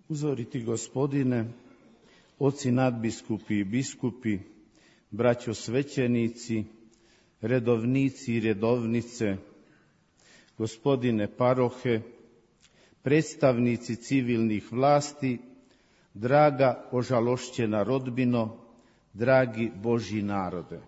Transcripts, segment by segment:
Uzoriti Gospodine, oci nadbiskupi i biskupi, braćo svećenici, redovnici i redovnice, gospodine parohe, predstavnici civilnih vlasti, draga ožalošćena rodbino, dragi Božji narode.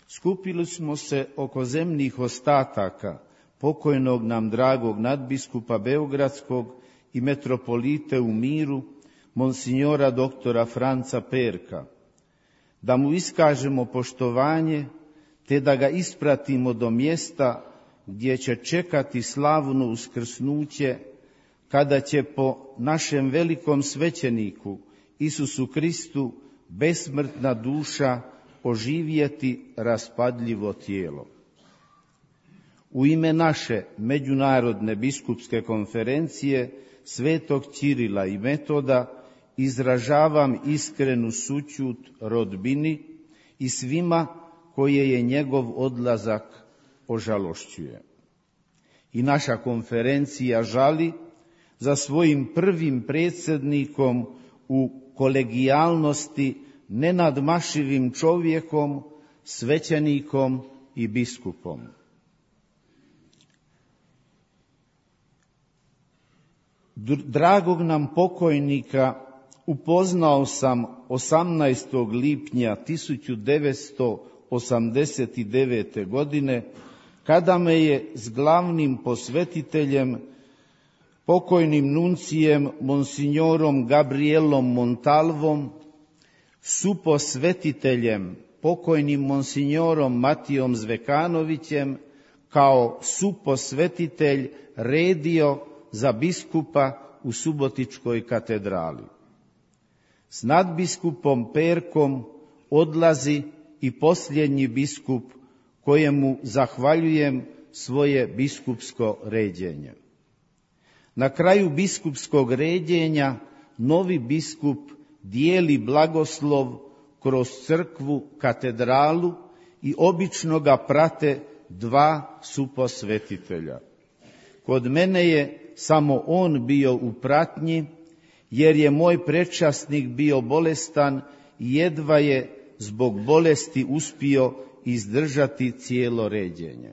Skupili smo se oko zemnih ostataka pokojnog nam dragog nadbiskupa Beogradskog i metropolite u miru, monsignora doktora Franca Perka, da mu iskažemo poštovanje, te da ga ispratimo do mjesta gdje će čekati slavno uskrsnuće, kada će po našem velikom svećeniku Isusu Kristu besmrtna duša oživjeti raspadljivo tijelo. U ime naše Međunarodne biskupske konferencije Svetog Ćirila i Metoda izražavam iskrenu sućut rodbini i svima koje je njegov odlazak ožalošćuje. I naša konferencija žali za svojim prvim predsjednikom u kolegijalnosti nenadmašivim čovjekom, svećenikom i biskupom. Dragog nam pokojnika upoznao sam 18. lipnja 1989. godine, kada me je s glavnim posvetiteljem, pokojnim nuncijem monsignorom Gabrielom Montalvom, suposvetiteljem, pokojnim monsignorom Matijom Zvekanovićem, kao suposvetitelj redio za biskupa u Subotičkoj katedrali. S nadbiskupom Perkom odlazi i posljednji biskup, kojemu zahvaljujem svoje biskupsko ređenje. Na kraju biskupskog ređenja novi biskup dijeli blagoslov kroz crkvu, katedralu i obično ga prate dva suposvetitelja. Kod mene je samo on bio u pratnji, jer je moj predčasnik bio bolestan i jedva je zbog bolesti uspio izdržati cijelo ređenje.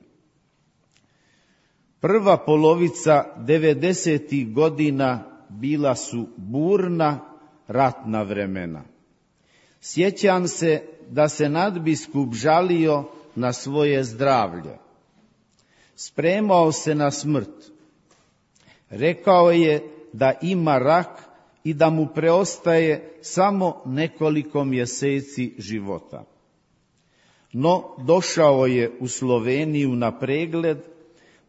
Prva polovica 90. godina bila su burna ratna vremena. Sjećam se da se nadbiskup žalio na svoje zdravlje. Spremao se na smrt. Rekao je da ima rak i da mu preostaje samo nekoliko mjeseci života. No, došao je u Sloveniju na pregled,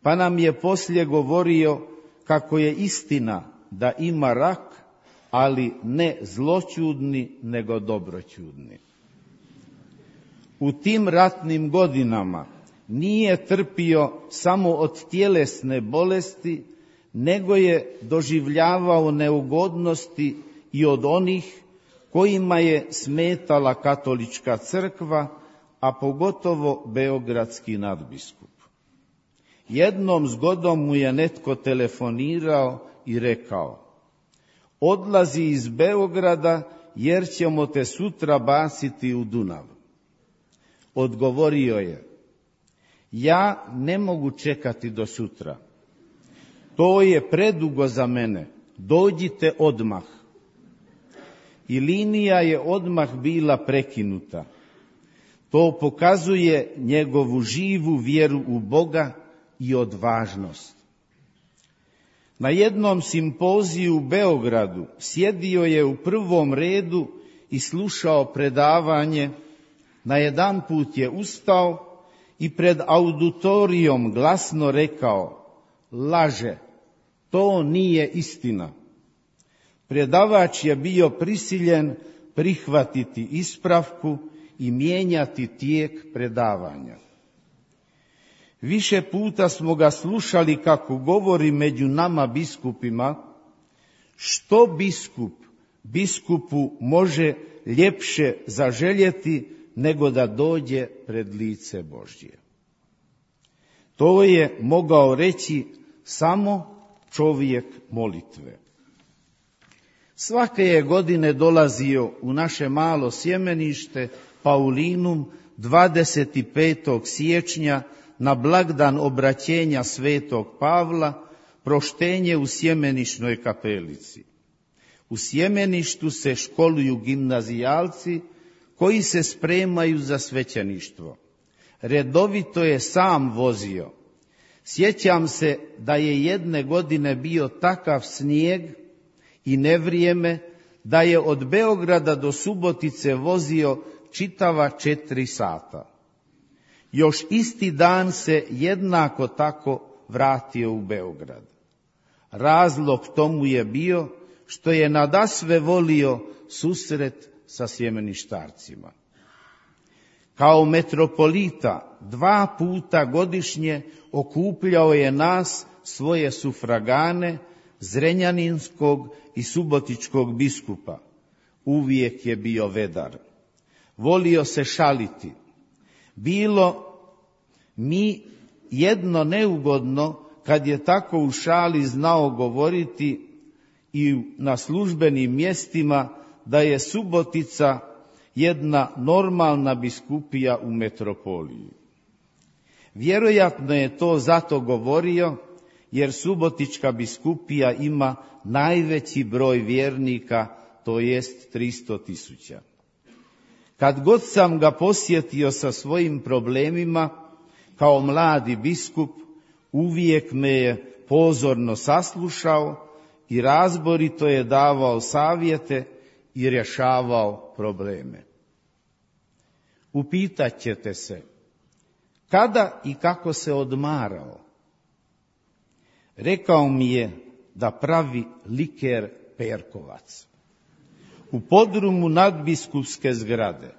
pa nam je poslije govorio kako je istina da ima rak, ali ne zloćudni, nego dobroćudni. U tim ratnim godinama nije trpio samo od tjelesne bolesti, nego je doživljavao neugodnosti i od onih kojima je smetala katolička crkva, a pogotovo beogradski nadbiskup. Jednom zgodom mu je netko telefonirao i rekao: odlazi iz Beograda jer ćemo te sutra baciti u Dunav. Odgovorio je: ja ne mogu čekati do sutra. To je predugo za mene, dođite odmah. I linija je odmah bila prekinuta. To pokazuje njegovu živu vjeru u Boga i odvažnost. Na jednom simpoziju u Beogradu sjedio je u prvom redu i slušao predavanje. Najedanput je ustao i pred auditorijom glasno rekao: laže, to nije istina. Predavač je bio prisiljen prihvatiti ispravku i mijenjati tijek predavanja. Više puta smo ga slušali kako govori među nama biskupima: što biskup biskupu može ljepše zaželjeti nego da dođe pred lice Božje. To je mogao reći samo čovjek molitve. Svake je godine dolazio u naše malo sjemenište Paulinum 25. siječnja na blagdan obraćenja svetog Pavla, proštenje u sjemenišnoj kapelici. U sjemeništu se školuju gimnazijalci koji se spremaju za svećeništvo. Redovito je sam vozio. Sjećam se da je jedne godine bio takav snijeg i nevrijeme da je od Beograda do Subotice vozio čitava 4 sata. Još isti dan se jednako tako vratio u Beograd. Razlog tomu je bio što je nadasve volio susret sa sjemeništarcima. Kao metropolita 2 puta godišnje okupljao je nas, svoje sufragane, zrenjaninskog i subotičkog biskupa. Uvijek je bio vedar. Volio se šaliti. Bilo mi jedno neugodno kad je tako u šali znao govoriti i na službenim mjestima da je Subotica jedna normalna biskupija u metropoliji. Vjerojatno je to zato govorio jer Subotička biskupija ima najveći broj vjernika, to jest 300.000. Kad god sam ga posjetio sa svojim problemima, kao mladi biskup, uvijek me je pozorno saslušao i razborito je davao savjete i rješavao probleme. Upitat ćete se, kada i kako se odmarao? Rekao mi je da pravi liker Perkovac u podrumu nadbiskupske zgrade.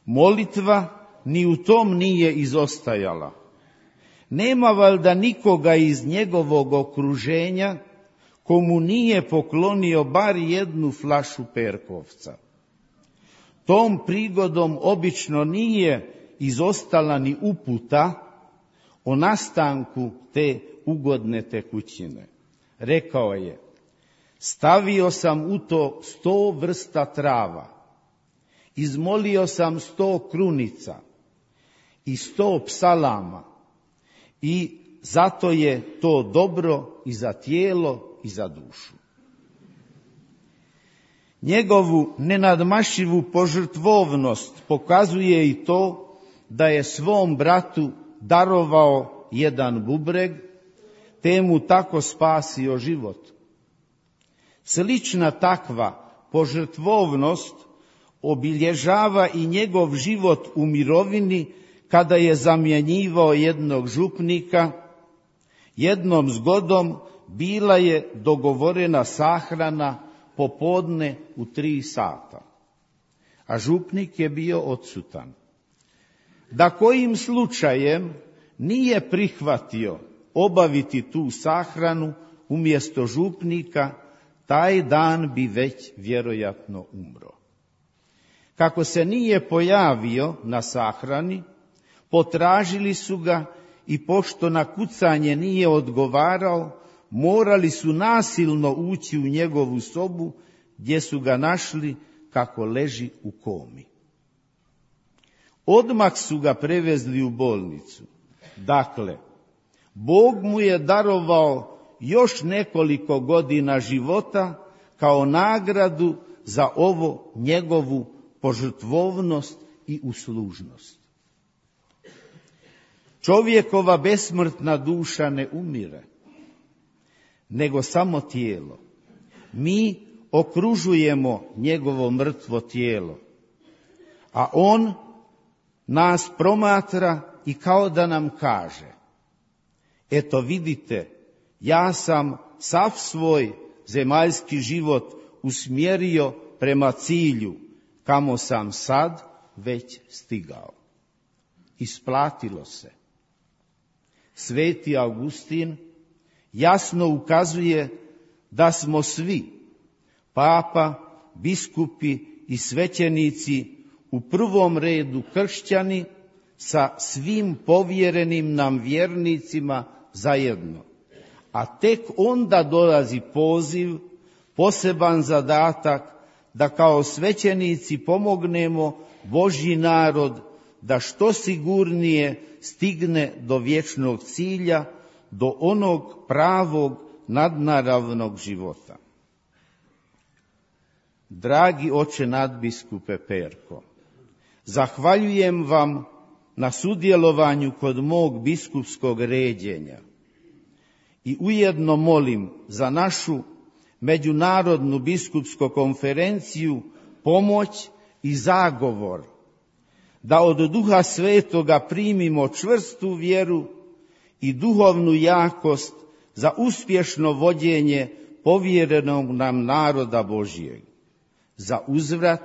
Molitva ni u tom nije izostajala. Nema valjda nikoga iz njegovog okruženja komu nije poklonio bar jednu flašu Perkovca. Tom prigodom obično nije izostala ni uputa o nastanku te ugodne tekućine. Rekao je, stavio sam u to 100 vrsta trava, izmolio sam 100 krunica i 100 psalama i zato je to dobro i za tijelo i za dušu. Njegovu nenadmašivu požrtvovnost pokazuje i to da je svom bratu darovao jedan bubreg, te mu tako spasio život. Slična takva požrtvovnost obilježava i njegov život u mirovini kada je zamjenjivao jednog župnika. Jednom zgodom bila je dogovorena sahrana popodne u 3 sata, a župnik je bio odsutan. Da kojim slučajem nije prihvatio obaviti tu sahranu umjesto župnika, taj dan bi već vjerojatno umro. Kako se nije pojavio na sahrani, potražili su ga i pošto na kucanje nije odgovarao, morali su nasilno ući u njegovu sobu gdje su ga našli kako leži u komi. Odmah su ga prevezli u bolnicu. Dakle, Bog mu je darovao još nekoliko godina života kao nagradu za ovo njegovu požrtvovnost i uslužnost. Čovjekova besmrtna duša ne umire, nego samo tijelo. Mi okružujemo njegovo mrtvo tijelo, a on nas promatra i kao da nam kaže, eto vidite, ja sam sav svoj zemaljski život usmjerio prema cilju, kamo sam sad već stigao. Isplatilo se. Sveti Augustin jasno ukazuje da smo svi, papa, biskupi i svećenici, u prvom redu kršćani sa svim povjerenim nam vjernicima zajedno. A tek onda dolazi poziv poseban zadatak da kao svećenici pomognemo Božji narod da što sigurnije stigne do vječnog cilja, do onog pravog nadnaravnog života. Dragi oče nadbiskupe Perko, zahvaljujem vam na sudjelovanju kod mog biskupskog ređenja i ujedno molim za našu međunarodnu biskupsku konferenciju pomoć i zagovor da od Duha Svetoga primimo čvrstu vjeru i duhovnu jakost za uspješno vođenje povjerenog nam naroda Božijeg. Za uzvrat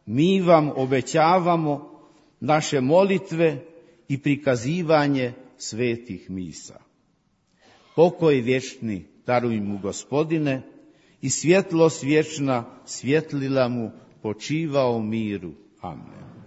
mi vam obećavamo naše molitve i prikazivanje svetih misa. Pokoj vječni daruj mu, Gospodine, i svjetlost vječna svjetlila mu, počivao u miru. Amen.